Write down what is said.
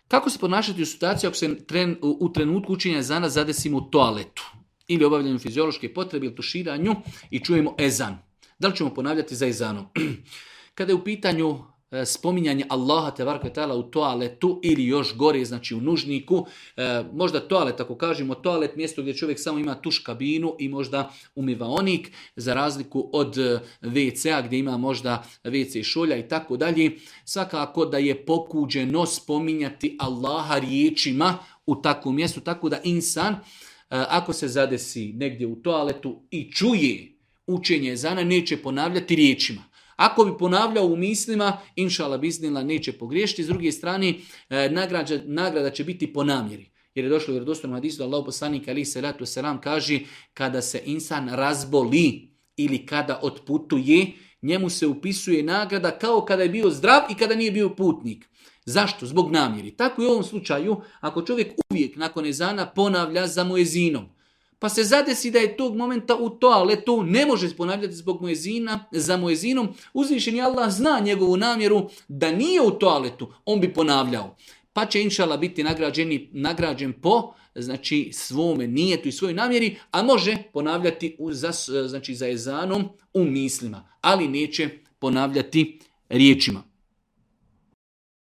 Kako se ponašati u situaciji ako se u trenutku učenja ezana zadesimo u toaletu ili obavljanju fiziološke potrebe ili tuširanju i čujemo ezan? Da li ćemo ponavljati za ezanom? Kada je u pitanju spominjanje Allaha tebareke ta'ala u toaletu ili još gore, znači u nužniku, možda toalet, ako kažemo toalet, mjesto gdje čovjek samo ima tuš kabinu i možda umivaonik, za razliku od WC-a gdje ima možda WC šolja i tako dalje, svakako da je pokuđeno spominjati Allaha riječima u takvom mjestu, tako da insan, ako se zadesi negdje u toaletu i čuje učenje ezana, neće ponavljati riječima. Ako bi ponavljao u mislima, inšala biznila, neće pogriješiti. S druge strane, nagrada će biti po namjeri. Jer je došlo u vjerodostojnom hadisu da Allahov poslanik alejhi selatu selam kaže kada se insan razboli ili kada otputuje, njemu se upisuje nagrada kao kada je bio zdrav i kada nije bio putnik. Zašto? Zbog namjeri. Tako i u ovom slučaju, ako čovjek uvijek nakon ezana ponavlja za muezinom, pa se zadesi da je tog momenta u toaletu, ne može ponavljati zbog muezina, za muezinom, uzvišeni Allah zna njegovu namjeru da nije u toaletu, on bi ponavljao. Pa će inšala biti nagrađen po znači svome nijetu i svojoj namjeri, a može ponavljati za ezanom u mislima, ali neće ponavljati riječima.